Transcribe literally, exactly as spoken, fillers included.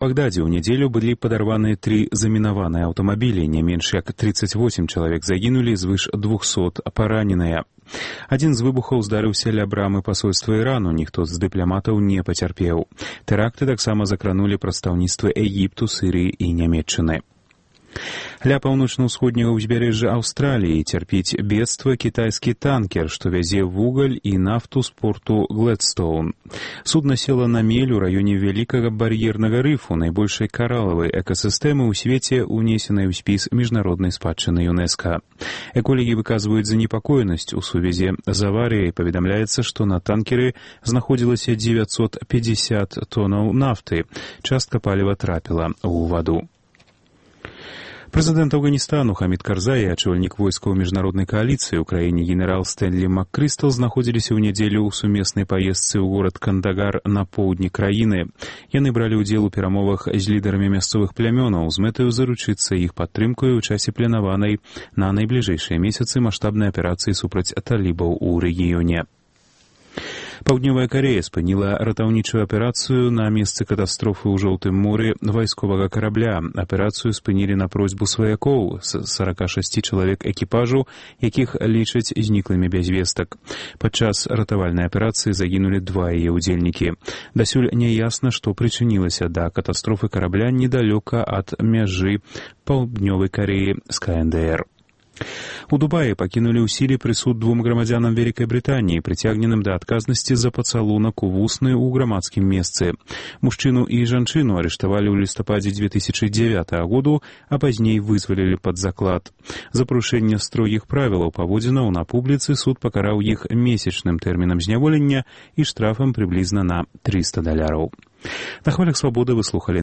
У Багдадзе ў нядзелю былі падарваныя тры замінаваныя аўтамабілі, не менш як тридцать восемь чалавек загінулі, звыш двухсот параненыя. Адзін з выбухаў здарыўся ля брамы пасольства Ірану, ніхто з дыпламатаў не пацярпеў. Тэракты таксама закранулі прадстаўніцтвы Егіпту, Сірыі і Нямецчыны. Ля паўночна-ўсходняга ўзбярэжжа Аўстраліі цярпіць бедства кітайскі танкер, што вязе вугаль і нафту з порту Глэдстоун. Судна села на мель у раёне вялікага бар'ернага рыфу, найбольшай каралавай экасістэмы ў свеце, унесенай у спіс міжнароднай спадчыны ЮНЕСКА. Эколагі выказваюць занепакоенасць у сувязі з аварыяй. Паведамляецца, што на танкеры знаходзілася дзевяцьсот пятьдесят тоннаў нафты. Частка паліва трапіла ў ваду. Прэзідэнт Афганістану Хамід Карзай і ачольнік войскаў міжнароднай кааліцыі ў краіне генерал Стэнлі МакКрыстал знаходзіліся ў нядзелю ў сумеснай паездцы ў горад Кандагар на поўдні краіны. Яны бралі ўдзел у перамовах з лідарамі мясцовых плямёнаў з мэтаю заручыцца іх падтрымкаю ў часе планаванай на найбліжэйшыя месяцы маштабнай аперацыі супраць талібаў у рэгіёне. Паўднёвая Карэя спыніла ратаўнічую аперацыю на месцы катастрофы ў Жоўтым моры вайсковага карабля. Аперацыю спынілі на просьбу сваякоў з сорока шасці чалавек экіпажу, якіх лічаць зніклымі без вестак. Падчас ратавальнай аперацыі загінулі два яе ўдзельнікі. Дасюль няясна, што прычынілася да катастрофы карабля недалёка ад мяжы Паўднёвай Карэі з КНДР. У Дубаі пакінулі ў сіле прысуд двум грамадзянам Вялікай Брытаніі, прыцягненым да адказнасці за пацалунак у вусны ў грамадскім месцы. Мужчыну і жанчыну арыштавалі ў лістападзе две тысячы дзевятага году, а пазней вызвалілі пад заклад. За парушэнне строгіх правілаў паводзінаў на публіцы суд пакараў іх месячным тэрмінам зняволення і штрафам прыблізна на трыста даляраў. На хвалях свабоды вы слухалі